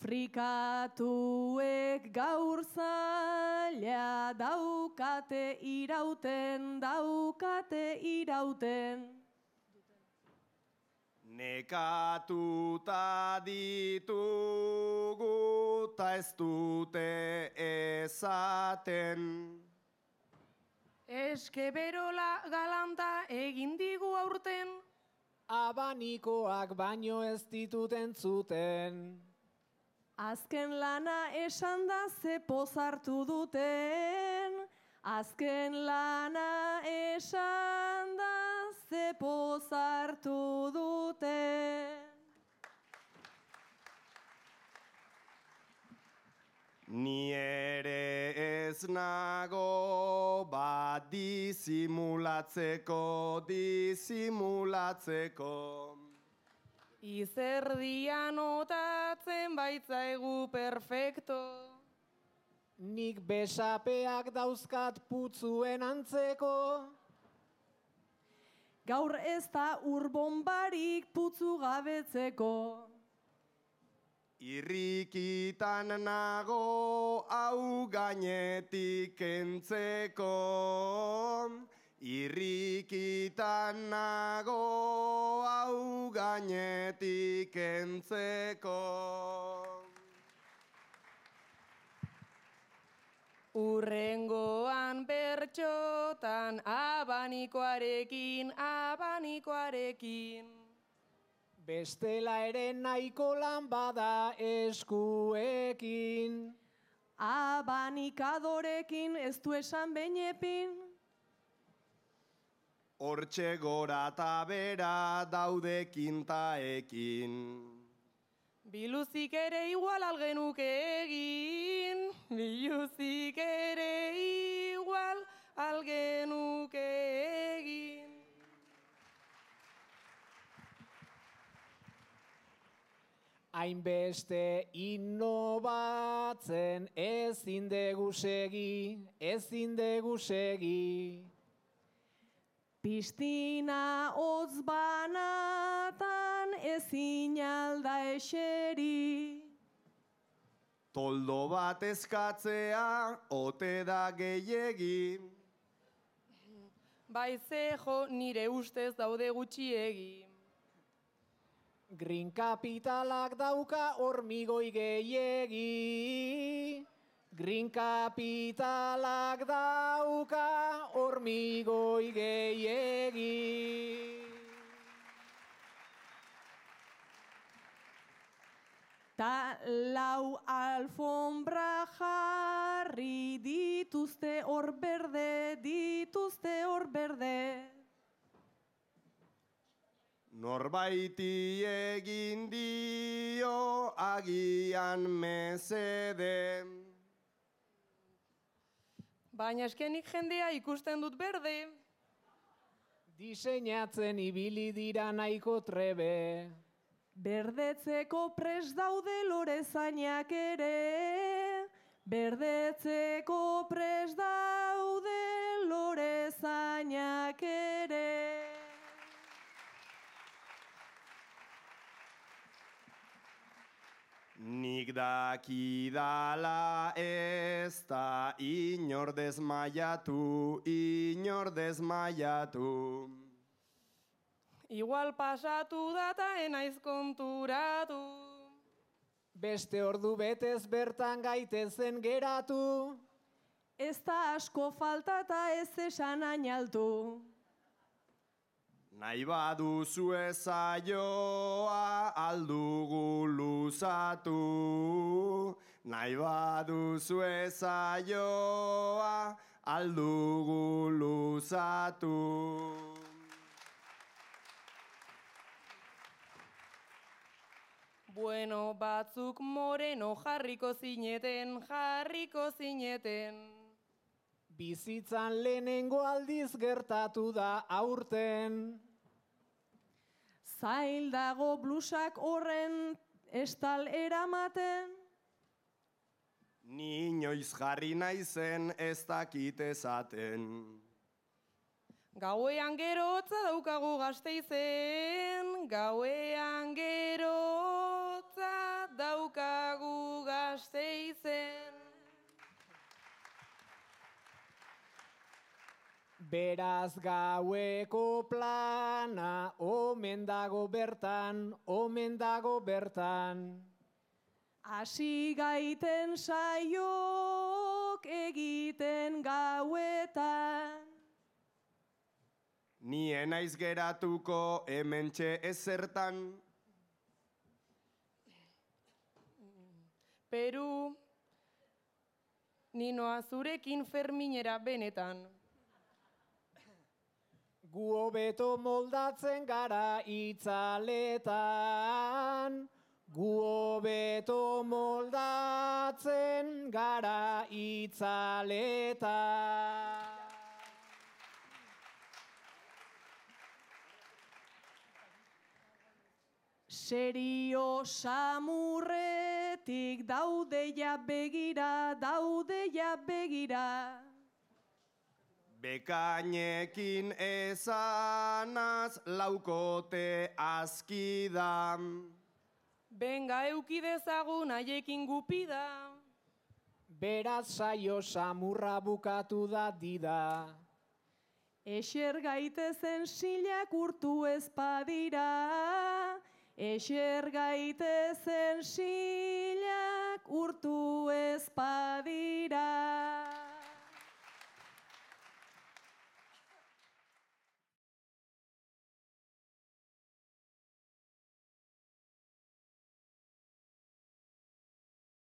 Frikatuek gaur zaila daukate irauten. Nekatuta ditugu ta ez dute esaten. Eske berola galanta egin digu aurten. Abanikoak baino ez ditut entzuten. Azken lana esan da ze pozartu duten. Azken lana esan da ze pozartu duten. Ni ere ez nago bat disimulatzeko. Izerdia notatzen baitzaigu perfecto. Nik besapeak dauzkat putzuen antzeko. Gaur ez da urbonbarik putzu gabetzeko. Irrikitan nago hau gainetik kentzeko. Irrikitan nago hau gainetik kentzeko. Urrengoan bertxotan abanikoarekin. Bestela ere nahiko lan bada eskuekin. Abanikadorekin ez du esan beinepin. Hortxe gora eta bera daude kintaekin. Biluzik ere igual algenuke egin. Hainbeste innobatzen ezin dugu segi. Pistina hotz banatan ezin alda eseri. Toldo bat eskatzea ote da gehiegi. Baizejo nire ustez daude gutxiegi. Green Capitalak dauka hormigoi gehiegi. Green Capitalak dauka hormigoi gehiegi. Ta lau alfombra jarri dituzte hor berde. Norbaiti egin dio agian mesede. Baina eskenik jendea ikusten dut berde. Diseinatzen ibili dira nahiko trebe. Berdetzeko prest daude lorezainak ere. Berdetzeko prest daude lorezainak ere. Nik dakidala ez da inor desmaiatu. Igual pasatu data enaiz konturatu. Beste ordu betez bertan gaitezen geratu. Ez da asko falta eta ez esan ainaltu. Nahi baduzu ezaioa aldugu luzatu. Nahi baduzu ezaioa aldugu luzatu. Bueno, batzuk moreno jarriko zineten. Bizitzan lehenengo aldiz gertatu da aurten. Zail dago blusak horren estal eramaten. Ni inoiz jarri naizen ez dakit esaten. Gauean gerotza daukagu Gasteizen. Beraz gaueko plana, omen dago bertan, omen dago bertan. Hasi gaiten saiok egiten gauetan. Ni enaiz geratuko hementxe ezertan. Peru, ninoa zurekin Ferminera benetan. Gu hobeto moldatzen gara itzaletan. Gu hobeto moldatzen gara itzaletan. Serio samurretik daudeia begira, daudeia begira. Bekainekin esanaz laukote azkidan. Benga euki dezagun haiekin gupida. Beraz saio samurra bukatu da dida. Exer gaitezen silak urtu ez badira. Exer gaitezen silak urtu ez badira.